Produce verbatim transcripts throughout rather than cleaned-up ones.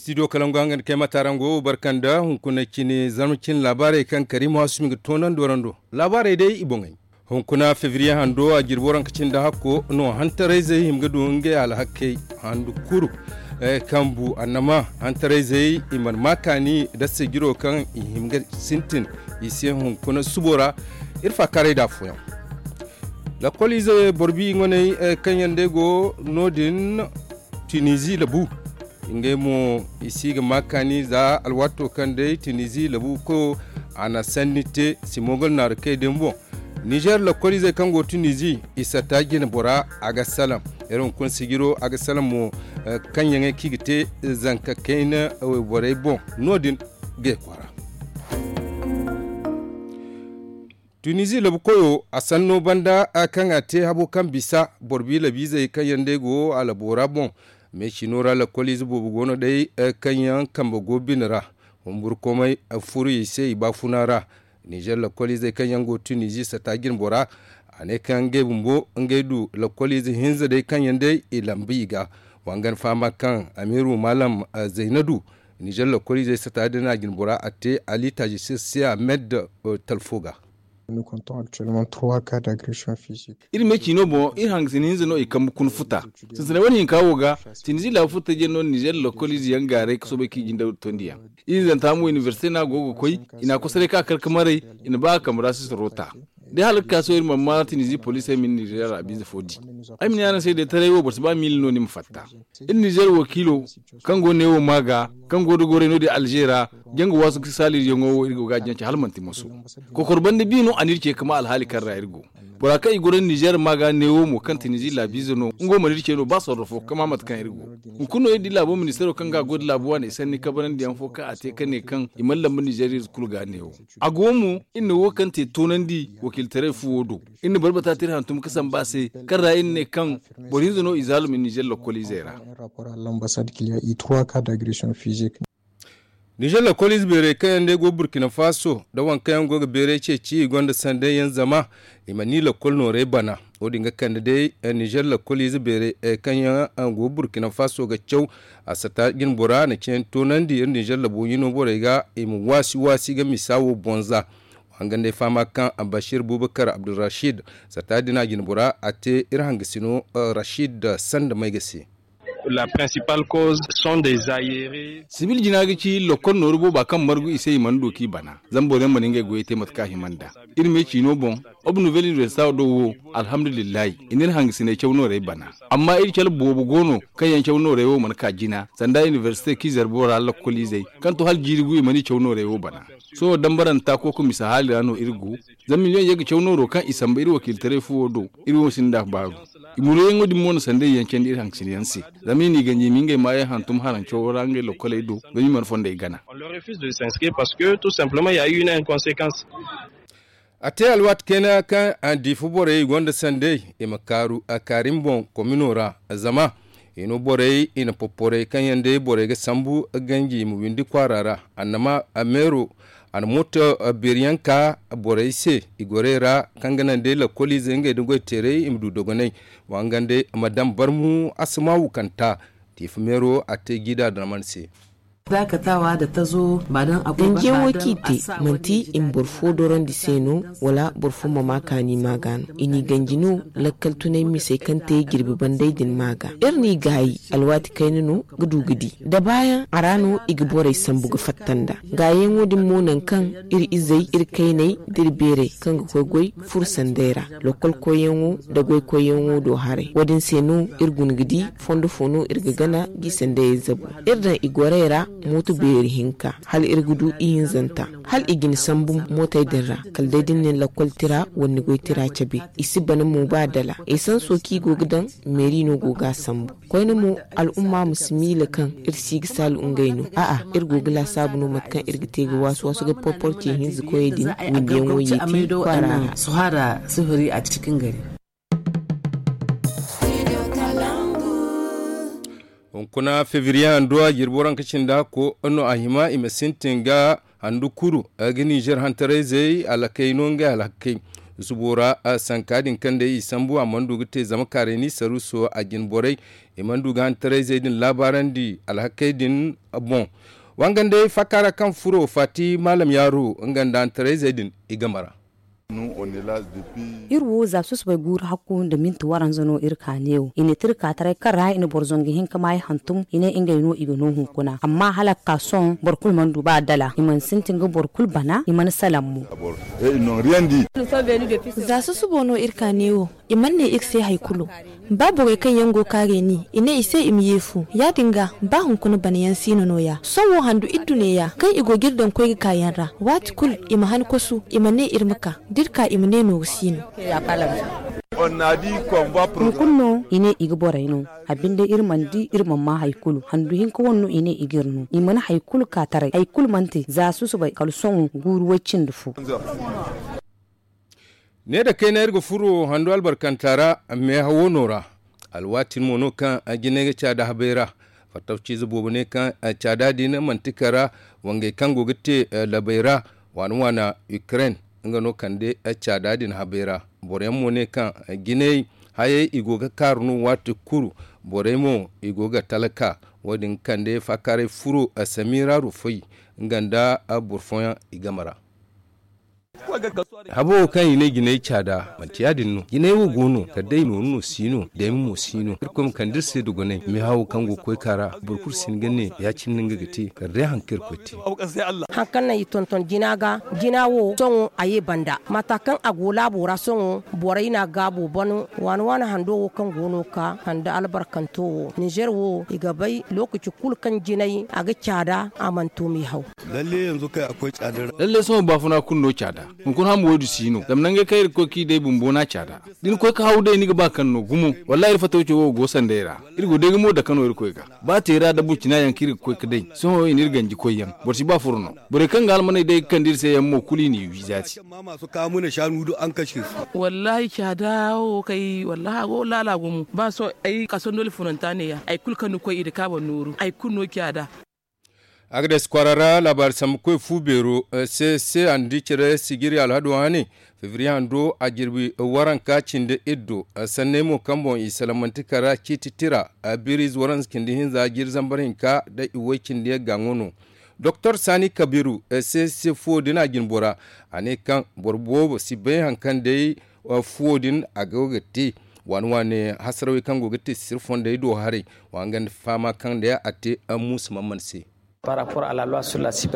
Studio kalangu hanga nda kay matarango barkanda hunkuna cine zarma cine laabaarey kaŋ kariima hasumi ga toonandi warando. Laabaarey day i boŋey. Hunkuna febriye hando a jirbi waranka cindi hakko no hantarayzey hima ga du ngey alhakey handu kuru, kaŋ bu annama hantarayzey i mana ma kaani dasse jiro kaŋ i hima ga sintin i se hunkuna subo ra. Iri faakaaray da afooyaŋ. Lakkol ize boro bi ŋwaney kaŋ yaŋ day go no- din tunizi labu. Ngey mo i si ga ma kaani za alwaato kaŋ day tunizi labu koyo a na sanni te simogol naaru kay din boŋ. Nizer lakkol izey kaŋ go tunizi i satta jine bora a ga salaŋ. Iri hunkuna sijiro a ga salaŋ mo. Kaŋ yaŋey kaŋ i ga te zanka kayna wayborey boŋ no- din ga i kwaara. Tunizi labu koyo a sanno banda kaŋ a te habo kaŋ bisa boro bi labiizey kaŋ yaŋ day go a labo ra boŋ. Meecino ra lakkol ize boobo go no day kaŋ yaŋ kambe go bine ra. Humburkomey furu i se i baafuna ra. Nizer lakkol izey kaŋ yaŋ go tunizi satta jine bora a ne kaŋ ngey bumbo ngey du lakkol ize hinza day kaŋ yaŋ day i lambu i ga. Wa nga ni fahama kaŋ amiru maalam zayna du nizer lakkol izey satta din a jine bora a te ali taji sirsi ahmed talfo ga. Iri me ciino boŋ iri hangasina hinza no i kambe kuna futa. Sintinay wane hinka wo ga tinizi laabu futa jey no nizer lakkol ize yaŋ gaaray ga soobay kaŋ i jinde tondi yaŋ. Ihinzanta mo inibersite no a go ga koy i na a kosoray ka kar ga maray. I na ba a kambe ra sisaro ta. Da hala ga ka sohõ iri mana ma tinizi poliisey ma iri nizer laabiize fo di. Ay ma ne araŋ se day taray wo boro si ba miila no ni ma fatta. Iri nizer wakiilo kaŋ go neewo ma ga kaŋ go da goray no- din alze ra. Janga waasu ga saaliize yaŋo wo iri go ga a jance hala manti moso. Kokoro banda bi no a n'iri ce ga ma alhaali kaŋ ra iri go. Bora kaŋ i goro nizer ma ga neewo mo kaŋ tinizi laabiize no nga wo mana iri ce no ba sorro fo ga ma mate kaŋ iri go. Hunkuna no iri di laabo ministeero kaŋ ga a goy da laabu waaney sanni kabanandi yaŋ fo kaŋ a te ka ne kaŋ i mana lambu nizer ize kulu ga neewo. A go mo iri na wo kaŋ te toonandi wakiiltaray fuwo do. Iri na barbata te iri hantum ga samba a se kaŋ ra iri ne kaŋ boro hinza no i zaalum nizer lakkol izey ra. Nizer lakkol ize beerey kaŋ yaŋ day go burkina faso nda waŋ kaŋ yaŋ go ga beerey ceeci i gonda sanday yaŋ zama i mana i lakkol noorey bana. Wo- din ga kande day nizer lakkol ize beerey kaŋ yaŋ go burkina faso ga caw. A sata jine bora na cine toonandi iri nizer labo hino borey ga i ma waasi waasi ga misa wo boŋ za. Wa hangan day fahama kaŋ bashir bubakar abdulrashid sata din a jine bora a te iri hangasino rashid sanda may ga se. Sibil jina ga ci lakkol nooru booba kaŋ margu i se i mana du k'i bana. Zama boro yaŋ mana ngey goyey te mate kaŋ a hima nd'a. Iri me ciino boŋ, obu nouvelle inibersita do wo, alhamdulillahi i n'iri hangasiney caw noorey bana. Amma iri cale boobo go no kaŋ yaŋ caw noorey wo mana ka jina sanda inibersite k'i zarbo ra lakkol izey kaŋ to hala jiiri gu i mana i caw noorey wo bana. Sohõ dambaranta kooko misa haali ra no iri go. Zama miliyoŋ ye ga caw nooro kaŋ i samba iri wakiiltaray fuwo do. Iri wo sinda baaru. I muruyaŋo din mo na sanday yaŋ candi iri hangasin yaŋ se. Zama i n'i ganji i ma ngey maayey hantum harancawo ra ngey lokkoley do. Zama i mana fondey gana. A te alwaati kayna kaŋ a diifa borey i gonda sanday i ma kaaru a kaari ni boŋ komino ra. Zama i no borey i na popporay kaŋ yaŋ day borey ga sambu ganji i ma windi kwaara ra. Annama a meero a na mooto beeriyaŋ ka borey se i gorey ra kaŋ ga naŋ day lakkoliizey ngey nda goy teeray i ma du dogonay. Wa nga nda ma daŋ barmu a si ma wukanta. Tiifa meero a te jiida da man se. Danjiyaŋo kaŋ i te manti i ma boro fo dorandi se no, wala boro fo ma ma kaani ma ga no i n'i ganji no. Lakkal tunay misey kaŋ te jirbi banday din ma ga iri n'i gaayi alwaati kayna no ga du ga di da baayaŋ a ra no i ga borey sambu ga fatta nd'a. Gaayaŋo din mo nangu kaŋ iri izey iri kayney da iri beerey kaŋ ga koy goy furo sanday ra. Lokkol koyyaŋo nda goy koyyaŋo do haray wo- din se no iri guna ga di fondo fo no iri ga gana g'i sandayey zabu. Iri daŋ i gorey ra mooto beeri hinka hala iri ga du ihinzanta hala i ga ni sambu mootey din ra. Kala day da ni na ni lakkol tira wala ni goy tira cabe i si bana mo ba dala esanso kaŋ i go ga daŋ. Meeri no go ga a sambu koyne mo al'umma ma si miila kaŋ iri si ga saalu ngey no. A'a iri go ga laasaabu no mate kaŋ iri ga te ga waasu waasu ga porpor ce hinza koyey din windiyaŋo yeeti kwaara ra. Hunkuna febriye hando a jirbi waranka cindi hakko no a hima i ma sintin ga handu kuru ga nizer hantarayzey alakey no ngey alhakey. Subo ra sanka din kaŋ day i sambu a mana du ga te zama kaaray ni saruuso a jine borey i mana du ga hantarayzey din laabaarandi alhakey din boŋ. Wangandey faaka ra kaŋ furo faati maalam yaaru nga nda hantarayzey din i game ra. Iri wo za susubay guuru hakku nda minti waranza no iri ka neewo i ne te iri ka taray kaŋ ra i na boro zangu hinka maayi hantum i ne ngey no i ga no hunkuna amma hala ga ka sohõ boro kulu mana du ba dala i mana sintin ga boro kulu bana i mana salaŋ mo. Za susubo no iri ka neewo i mana ne iri se hari kulu. Ba borey kaŋ yaŋ go kaarey ni i ne i se i ma yeefu ya- din ga ba hunkuna bana yaŋ si no nooya sohõ handu iri du neeya kaŋ i go ga iri daŋ koy ga ka yaŋ ra waati kulu i ma han kosu i ma ne iri ma ka da iri ka i ma ne nooru si no. Hunkuna no i ne i ga borey no a binde iri mana di iri mana ma hari kulu handu hinka wane no i ne i ga iri no i mana hari kulu ka taray hari kulu mana te za susubay kala sohõ guuru way- cindi fo. Ne da kayna iri ga furo hando albarkanta ra meehawo no ra. Alwaati mo no kaŋ jinay ga caada habay ra. Fattawciize boobo ne kaŋ caada din manti kara wangey kaŋ go ga te labay ra waana waana ukraine nga no kande caada din habay ra. Boro yaŋ mo ne kaŋ jinay hayey i go ga kaaru no waati kulu. Borey mo i go ga talka wo- din kande faakaaray furo samira rufay nga nda boro fooyaŋ i game ra. Habo wo kaŋ i ne jinay caada manti ya- din no jinay wo go no kala day nooru no si no dayma mo si no irkoy ma kande iri se dogonay meehawo kaŋ go ga koy ka ra boro kulu si hin ga ne ya- cine no nga ga te kala day hari kaŋ irkoy te. Hari kaŋ naŋ i tonton jina ga jina wo sohõ a ye banda mata kaŋ a go laabo ra sohõ borey no a gaabo ban waana waana hando wo kaŋ go no ka handa albarkanto wo ninzeer wo i ga bay lookaci kulu kaŋ jinay a ga caada a mana to meehaw. Lalle sohõ baafuna kulu no caada. Hunkuna hamo wo- din si no zama nangey kaŋ iri ga koy ga i day bumbo no a caada. Da ni koy ga haw day ni ga ba kaŋ no gumo wallaahi iri fatawco wo go sanday ra. Iri go day ga mo dake no irkoy ga ba teera da burcina yaŋ kaŋ iri ga koy ga day sohõ i na iri ganji koy yaŋ boro si ba furo no. Borey kaŋ ga almaney day ga kande iri se yaŋ mo kulu i n'i wi zaati. Wallaahi caada wo kay wallaahi a go laala gumo ba sohõ ay kasandoli funanta neeya hari kulu kaŋ ni koy i da kaaba nooru hari kulu no caada. Agades kwaara ra laabaari sambu koy fu beero se se a na di care sijiri alhado hane febriye hando a jirbi waranka cindi iddo sanney mo kaŋ boŋ i salamanti kara ciiti tira biriize waranza cindi hinza jiiri zambar hinka da i way cindi yaŋ ga ŋwa no. Doktor sani kabiru se se fuwo din a jinbora a ne kaŋ boro boobo si bay hari kaŋ day fuwo din a go ga te waane waane hasarawey kaŋ go ga te sisir fondey do haray wa nga nda fahama kaŋ day a te muusa man man se.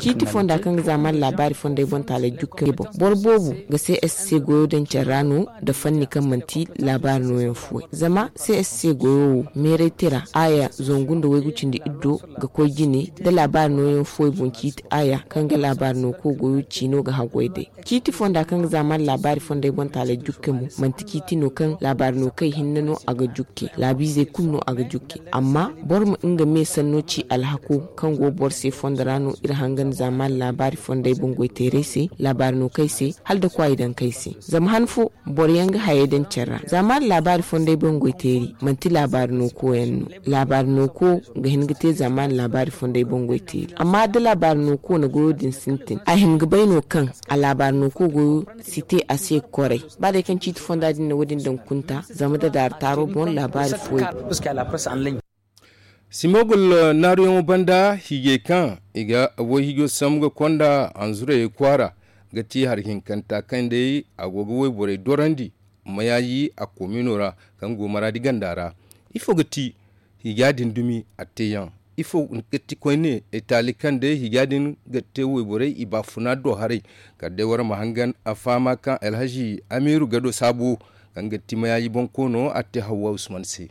Ciiti fonda kaŋ ga zaamaani laabaari fondey boŋ taaley jukkey boŋ boro boobo ga c s c goyo daŋ care ra no nda fanni kaŋ manti laabaari nooyaŋ fuwey zama c s c goyo wo meeray tira aaya zangu nda waygu cindi iddo ga koy jine nda laabaari nooyaŋ fuwey boŋ ciiti aaya kaŋ ga laabaari nooko goyo ciino ga haggoy day. Ciiti fonda kaŋ ga zaamaani laabaari fondey boŋ taaley jukke mo manti ciiti no kaŋ laabaari nookey hinne no a ga jukke laabiizey kulu no a ga jukke. Amma boro ma nga me sanno ci alhako kaŋ go boro se fondo ra no iri hangan zaamaani laabaari fondey boŋ goyteerey se laabaari nookey se hala da kwaayi dankey se. Zama han fo boro yaŋ ga hayey daŋ care ra zaamaani laabaari fondey boŋ goyteeri manti laabaari nooko yaŋ no. Laabaari nooko ga hin ga te zaamaani laabaari fondey boŋ goyteeri amma da laabaari nooko na goyo din sintin a hin ga bay no kaŋ a laabaari nooko goyo si te a se koray. Ba day kaŋ ciiti fonda din na wo- din daŋ kunta zama da daari taaro boŋ laabaari fuwey. Simogul naaruyaŋo banda hiijey kaŋ i ga wayhiijo sambu ga konda hanzurayey kwaara ga ti hari hinkanta kaŋ day a go ga wayborey dorandi mayaaji a koomino ra kaŋ go maraadi ganda ra. Ifo ga ti hiija din dumi a teeyaŋ? Ifo ga ti koyne taali kaŋ day hiija din ga te wayborey i baafuna do haray? Kala day war ma hangan a fahama kaŋ alhazi amiiru gado saabo kaŋ ga ti mayaaji bonkoono a te hawwa usman se.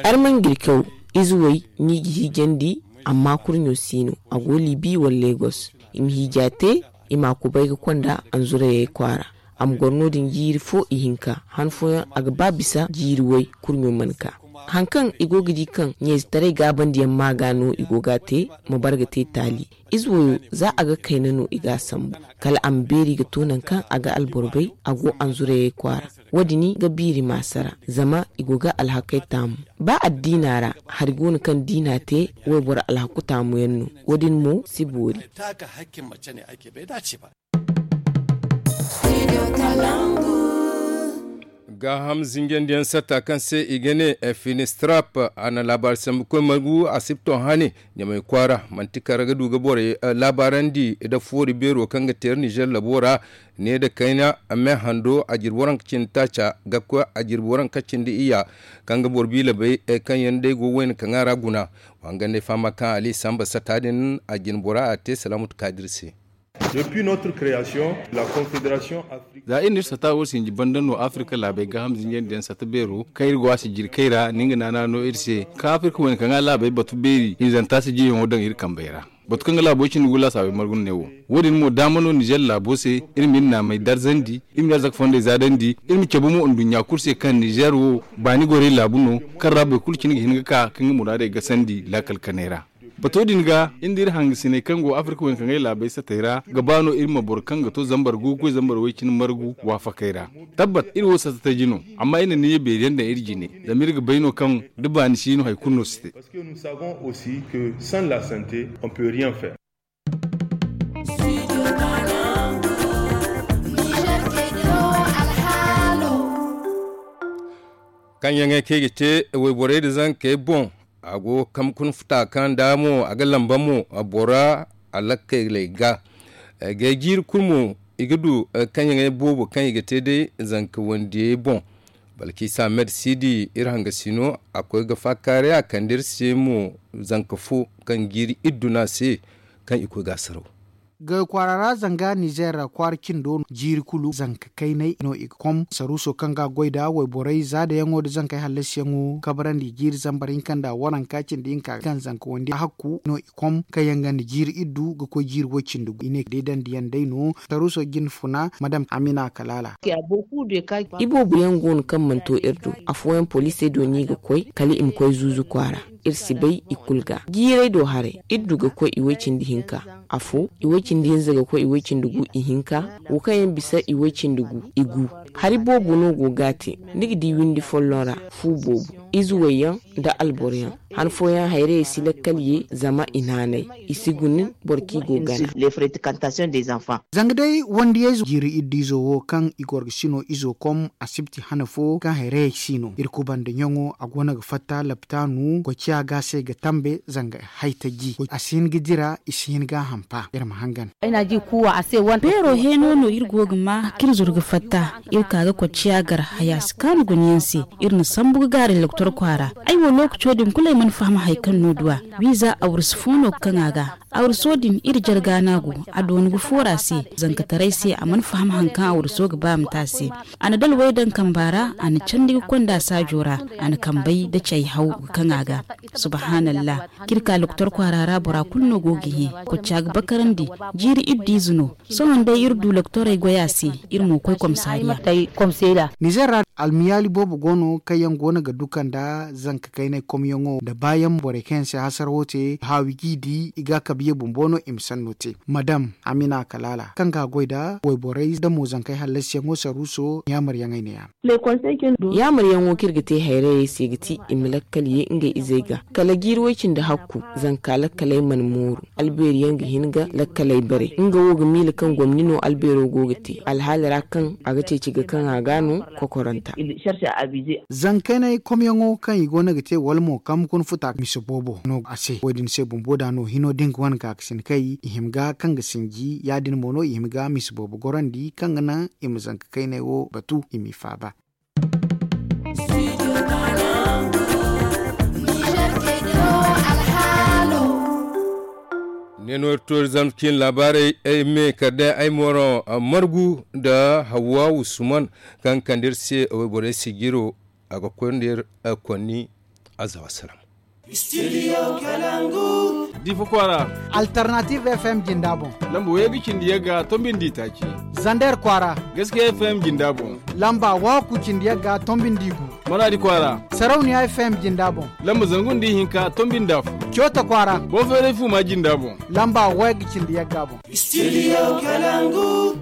Armangirkew ize way no i ga hiijandi amma kurɲo si no a go libi wala legos. I ma hiija te i ma a kubay ga konda anzurayey kwaara. A ma goro no- din jiiri fo ihinka han fooyaŋ a ga ba bisa jiiri way kurɲo mana ka. Hari kaŋ i go ga di kaŋ ɲayzetaray gaabandiyaŋ ma ga no i go ga a te ma bare ga te taali. Ize wayo za a ga kayna no i ga a sambu kala a ma beeri ga to nangu kaŋ a ga alboro bay a go anzurayey kwaara. Wo- din ga biiri maasa ra zama i go ga alhakey taamu. Ba addiina ra hari go no kaŋ diina te wayboro alhaku taamuyaŋ no. Wo- din mo si boori. Gaaham zinjandiyaŋ satta kaŋ se i ga ne finistrap, a na laabaari sambu koy margu asibto hane ɲamay kwaara. Manti kala ga du ga borey laabaarandi nda foori beero kaŋ ga teeri nizer labo ra. Ne nda kayna me hando a jirbi waranka cindi taaca ga koy a jirbi waranka cindi iyya, kaŋ ga boro biila bay kaŋ yaŋ day go wayna kaŋ a ra guna. Wa hangan day fahama kaŋ ali samba satta din a jina bora a te salaamatu kaadir se. Depuis notre création, la confédération africaine. Za iri na iri sata wo sinji banda no afirka laabey gaaham zinjandi yaŋ sata beero kaŋ iri go a si jiri kay ra ni nga naana no iri se kaŋ afirka wayna kaŋ a laabey batu beeri hinzanta si jiyaŋo daŋ iri kambey ra. Batu kaŋ ga laabo cindi gu laasaabey margu no ne wo. Wo- din mo daama no nizer laabo se iri ma iri naamey darzandi, iri ma iri arzaka fondey zaadandi, iri ma cabe mo nduɲɲa kulu se kaŋ nizer wo baani gorey laabu no, kaŋ ra boro kulu cine ga hin ga ka ka nga muraadey gasandi laakal kanay ra. Bato din ga iri nda iri hangasiney kaŋ go afirka wayna kaŋ ay laabey satey ra ga ba no iri ma boro kaŋ ga to zambar gu ga koy zambar way- cine margu waafakey ra. Tabbat iri wo sata taji no, amma iri na niya beeri yaŋ daŋ iri jine, zama iri ga bay no kaŋ da baani si no hari kulu no si te. Parce que nous savons aussi que sans la santé on peut rien faire. Kaŋ yaŋey kaŋ i ga te wayborey nda zankey boŋ, a go ga kambe kuna futa kaŋ da mo a ga lamba mo bora alakkaley ga. Gay jiiri kulu mo i ga du kaŋ yaŋey boobo kaŋ i ga te day zanka wandiyey boŋ. Balkisa med sidi iri hangasino a koy ga faakaaray a kande iri se mo zanka fo kaŋ jiiri iddu no a se kaŋ i koy ga a saraw. Gay kwaara ra zanga nizer kwaara cindo no jiiri kulu zanka kaynay no i ga kom saruuso kaŋ ga a goy nda wayborey zaadayaŋo nda zankey hallasiyaŋo kabrandi jiiri zambar hinka nda waranka cindi hinka kaŋ zanka wandi hakku no i kom kaŋ yaŋ ganda jiiri iddu ga koy jiiri way- cindi gu i ne deedandi yaŋ day no. Saruuso jin funa madam amina kalaala. Iboobo yaŋ go no kaŋ mana to iri do afooyaŋ poliisey do no i ga koy kala i ma koy zuuzu kwaara. Iri si bay i kulu ga jiirey do haray iri du ga koy i way- cindi hinka afo i way- cindi hinza ga koy i way- cindi gu i hinka wo kaŋ yaŋ bisa i way- cindi gu i gu. Hari boobo no go ga a te ni ga di windi folloŋ ra fu boobo ize wayyaŋ nda alboro yaŋ. Han fooyaŋ hayrayey si lakkal ye zama i naanay i si guna boro kaŋ i go gana. Zanga day wandiyayzo jiiri iddiizo wo kaŋ i gorgasino izo kom asibti hana fo kaŋ hayrayey si no iri kubanda ɲaŋo a go no ga fatta laptaanu koy ciya ga se ga tambe zanga haytaji a si hin ga dira i si hin ga a hampa iri ma hangan. Beero heeno no iri go ga ma kaŋ iri zuru ga fatta iri ka ga kocciya gar haya si kaanu guna yaŋ se. Iri na sambu ga gaaray loktor kwaara. Ay wo lookaco din kulu ay mana faham hari kaŋ no du a wiiza awrusu fo no ga kaŋ a ga. Awruso din iri jarga no a go a doonu ga foora se. Zankataray se a mana faham hari kaŋ awruso ga ba a ma te a se. A na dalwey daŋ kamba ra a na candi ga konda saajo ra. A na kambey da cay haw ga kaŋ a ga. Subhaanallah. Kaŋ iri ka loktor kwaara ra bora kulu no go ga hẽ. Kocca ga bakarandi. Jiiri iddu ize no. Sohõ day iri du loktorey goy a se. Iri mo koy komsaariya. Nizer ra almiyaali boobo go no kaŋ yaŋ go no ga duka nda zanka kaynay komyaŋo nda baayaŋ borey kaŋ yaŋ se hasarawo te haawi g'i di i ga a kabe ye bumbo no i ma sanno te madam amina kalaala kaŋ ga a goy nda wayborey da mo zankey hallasiyaŋo saruuso yaamaryaŋey ne- ya. Yaamaryaŋo kaŋ iri ga te hayrayey se ga ti i ma lakkal ye ngey izey ga kala jiiri way- cindi hakku. Zanka lakkaley mana mooru. Albeeri yaŋ ga hin ga lakkaley bare nga wo ga miila kaŋ gomni no albeero go ga te alhaali ra kaŋ a ga ceeci ga kaŋ a ga no kokoranta. Zankaynay komyaŋo kaŋ i go no ga te wala mo kaŋ ma kuna futa misa boobo no a se wo- din se bumbo da no hino da nga wane gaakasin kay i hima ga kaŋ ga sinji ya- din mo no i hima ga misa boobo gorandi kaŋ ga naŋ i ma zanka kaynay wo batu i m'i faaba. Ne no iri toori zama ciine laabaarey ay me kala day ay moro margu nda hawwa wusman kaŋ kande iri se wayborey sijiro a ga koy nda iri konni azawa salaam. Difa kwaara. Alternative fm jinda boŋ. Lamba wayga cindi yagga tombi nda itaaci. Zander kwaara. Gaskiya fm jinda boŋ. Lamba waku cindi yagga tombi nda igu. Maradi kwaara. Sarauniya fm jinda boŋ. Lamba zangu nda ihinka tombi nda fu. Coota kwaara. Boferey fuma jinda boŋ. Lamba wayga cindi yagga boŋ. Studio kalangu.